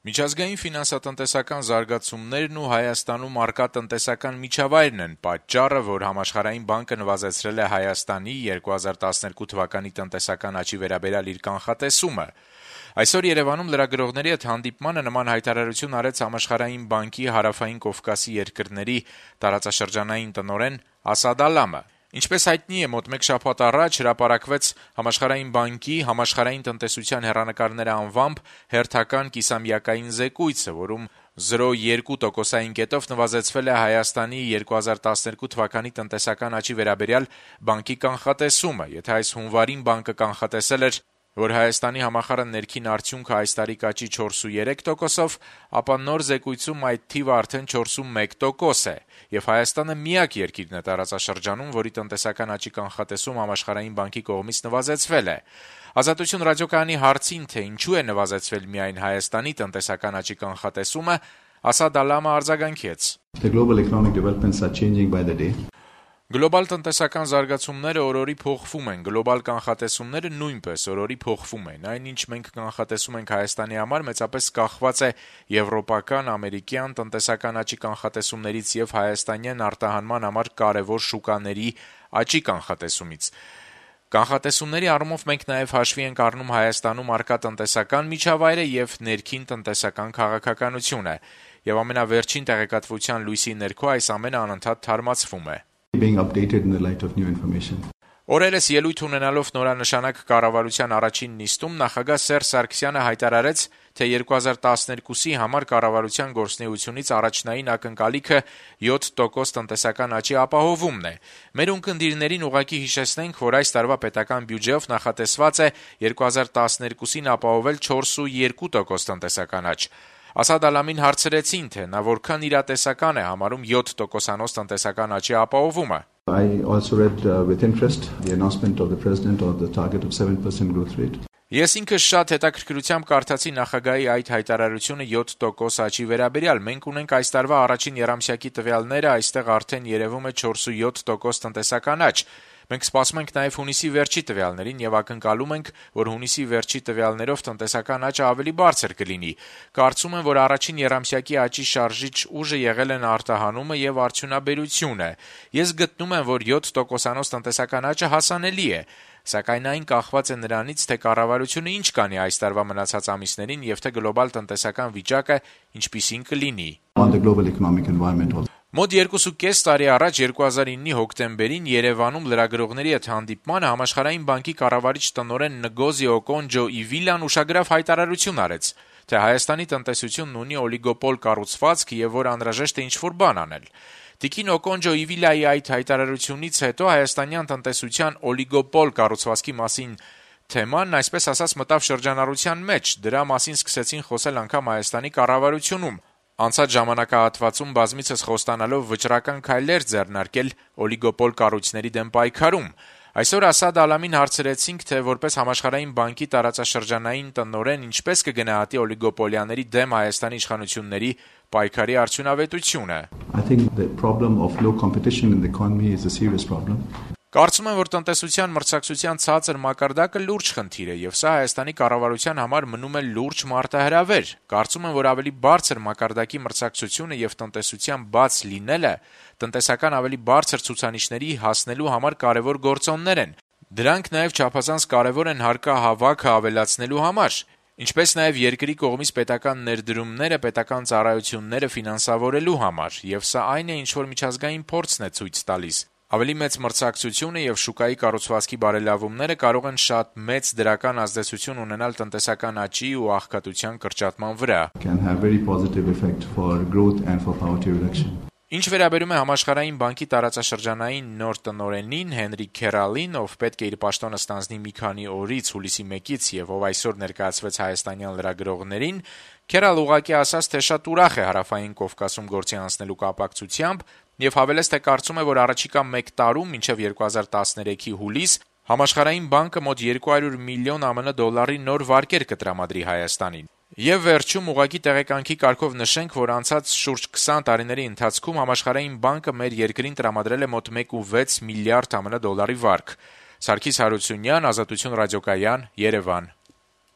Միջազգային ֆինանսատնտեսական զարգացումներն ու Հայաստանում առկա տնտեսական միջավայրն են պատճառը, որ Համաշխարհային բանկը նվազեցրել է Հայաստանի 2012 թվականի տնտեսական աճի վերաբերյալ իր կանխատեսումը։ Այսօր Երևանում լրագրողների հետ հանդիպմանը նման հայտարարություն արեց Համաշխարհային բանկի Հարավային Կովկասի երկրների տարածաշրջանային տնօրեն Ասադ Ալամը։ Ինչպես հայտնի է, մոտ մեկ շաբաթ առաջ հրապարակվեց Համաշխարհային բանկի համաշխարհային տնտեսության հեռանկարները անվամբ հերթական կիսամյակային զեկույցը, որում 0,2%-ային կետով նվազեցվել է Հայաստանի 2012 թվականի տնտեսական աճի վերաբերյալ բանկի կանխատեսումը։ Եթե այս հունվարին բանկը կանխատեսել էր, որ Հայաստանի համախառն ներքին արդյունքը այս տարի կաճի 4,3%-ով, ապա նոր զեկույցում այդ թիվը արդեն 4,1% է, եւ Հայաստանը միակ երկիրն է տարածաշրջանում, որի տնտեսական աճի կանխատեսում Համաշխարհային բանկի կողմից նվազեցվել է։ Ազատություն ռադիոկայանի հարցին, թե ինչու է նվազեցվել միայն Հայաստանի տնտեսական աճի կանխատեսումը, Ասադ Ալամը արձագանքեց. The global economic developments are changing by the day. Գլոբալ տնտեսական զարգացումները օրորի փոխվում են, գլոբալ կանխատեսումները նույնպես օրորի փոխվում են։ Այն, ինչ մենք կանխատեսում ենք Հայաստանի համար, մեծապես կախված է եվրոպական, ամերիկյան տնտեսական աճի կանխատեսումներից եւ հայաստանյան արտահանման համար կարևոր շուկաների աճի կանխատեսումից։ Կանխատեսումների առումով մենք նաև հաշվի ենք առնում Հայաստանում առկա տնտեսական միջավայրը եւ ներքին տնտեսական քաղաքականությունը, եւ ամենավերջին տեղեկատվության լույսի ներքո այս ամենը անընդհատ թարմացվում է։ Being updated in the light of new information. Օրերս ելույթ ունենալով նորանշանակ կառավարության առաջին նիստում նախագահ Սերժ Սարգսյանը հայտարարեց, թե 2012-ի համար կառավարության գործունեությունից առաջնային ակնկալիքը 7% տնտեսական աճի ապահովումն է։ Մեր ունկնդիրներին ուղղակի հիշեցնենք, որ այս տարվա պետական բյուջեով նախատեսված է 2012-ին ապահովել 4,2% տնտեսական աճ։ Ասադ Ալամին հարցրեցին, թե նա որքան իրատեսական է համարում 7%-անոց տնտեսական աճի ապահովումը։ I also read with interest the announcement of the president of the target of 7% growth rate. Ես ինքս շատ հետաքրքրությամբ կարդացի նախագահի այդ հայտարարությունը 7% աճի վերաբերյալ։ Մենք ունենք այս տարվա առաջին եռամսյակի տվյալները, այստեղ արդեն երևում է 4,7% տնտեսական աճ։ Մենք սպասում ենք նաև հունիսի վերջի տվյալներին եւ ակնկալում ենք, որ հունիսի վերջի տվյալներով տնտեսական աճը ավելի բարձր կլինի։ Կարծում եմ, որ առաջին եռամսյակի աճի շարժիչ ուժը եղել են արտահանումը եւ արդյունաբերությունը։ Ես գտնում եմ, որ 7%-անոց տնտեսական աճը հասանելի է, սակայն այն կախված է նրանից, թե կառավարությունը ինչ կանի այս տարվա մնացած ամիսներին եւ թե գլոբալ տնտեսական վիճակը ինչպիսին կլինի։ On the global economic environment also. Մոտ 2.5 տարի առաջ 2009-ի հոկտեմբերին Երևանում լրագրողների հետ հանդիպմանը Համաշխարհային բանկի կառավարիչ տնօրեն Նգոզի Օկոնջո-Իվիլան ուշագրավ հայտարարություն արեց, թե Հայաստանի տնտեսությունն ունի օլիգոպոլ կառուցվածք եւ որ անհրաժեշտ է ինչ-որ բան անել։ Տիկին Օկոնջո-Իվիլայի այդ հայտարարությունից հետո հայաստանյան տնտեսության օլիգոպոլ կառուցվածքի մասին թեման, այսպես ասած, մտավ շրջանառության մեջ։ Դրա մասին սկսեցին խոսել անգամ Հայաստանի կառավարությունում։ Անցած ժամանակահատվածում բազմիցս խոստանալով վճռական քայլեր ձեռնարկել օլիգոպոլ կառույցների դեմ պայքարում։ Այսօր Ասադ Ալամին հարցրեցինք, թե որպես Համաշխարհային բանկի տարածաշրջանային տնօրեն ինչպես կգնահատի օլիգոպոլիաների դեմ Հայաստանի իշխանությունների պայքարի արդյունավետությունը։ I think the problem of low competition in the economy is a serious problem. Կարծում եմ, որ տնտեսության մրցակցության ցածր մակարդակը լուրջ խնդիր է եւ սա Հայաստանի կառավարության համար մնում է լուրջ մարտահրավեր։ Կարծում եմ, որ ավելի բարձր մակարդակի մրցակցությունը եւ տնտեսության բաց լինելը տնտեսական ավելի բարձր ցուցանիշների հասնելու համար կարևոր գործոններ են։ Դրանք նաեւ չափազանց կարևոր են հարկահավաքը ավելացնելու համար, ինչպես նաեւ երկրի կողմից պետական ներդրումները, պետական ծառայությունները ֆինանսավորելու համար, եւ սա այն է, ինչ որ միջազգային փորձն է ցույց տալիս։ Ավելի մեծ մրցակցությունը եւ շուկայի կառուցվածքի բարելավումները կարող են շատ մեծ դրական ազդեցություն ունենալ տնտեսական աճի ու աղքատության կրճատման վրա։ Can have very positive effect for growth and for poverty reduction. Ինչ վերաբերում է Համաշխարհային բանկի տարածաշրջանային նոր տնօրենին Հենրի Քերալին, ով պետք է իր պաշտոնը ստանձնի մի քանի օրից հուլիսի 1-ից եւ ով այսօր ներկայացվեց հայաստանյան լրագրողներին, Քերալ ուղղակի ասաց, թե շատ ուրախ է Հարավային Կովկասում գործի անցնելու կապակցությամբ եւ հավելեց, թե կարծում է, որ առաջիկա 1 տարում, մինչեւ 2013-ի հուլիս, Համաշխարհային բանկը մոտ 200 միլիոն ԱՄՆ դոլարի նոր վարկեր կտրամադրի Հայաստանին։ Եվ վերջում ուղղակի տեղեկանքի կարգով նշենք, որ անցած շուրջ 20 տարիների ընթացքում Համաշխարհային բանկը մեր երկրին տրամադրել է մոտ 1.6 միլիարդ ԱՄՆ դոլարի վարկ։ Սարգիս Հարությունյան, Ազատություն ռադիոկայան, Երևան։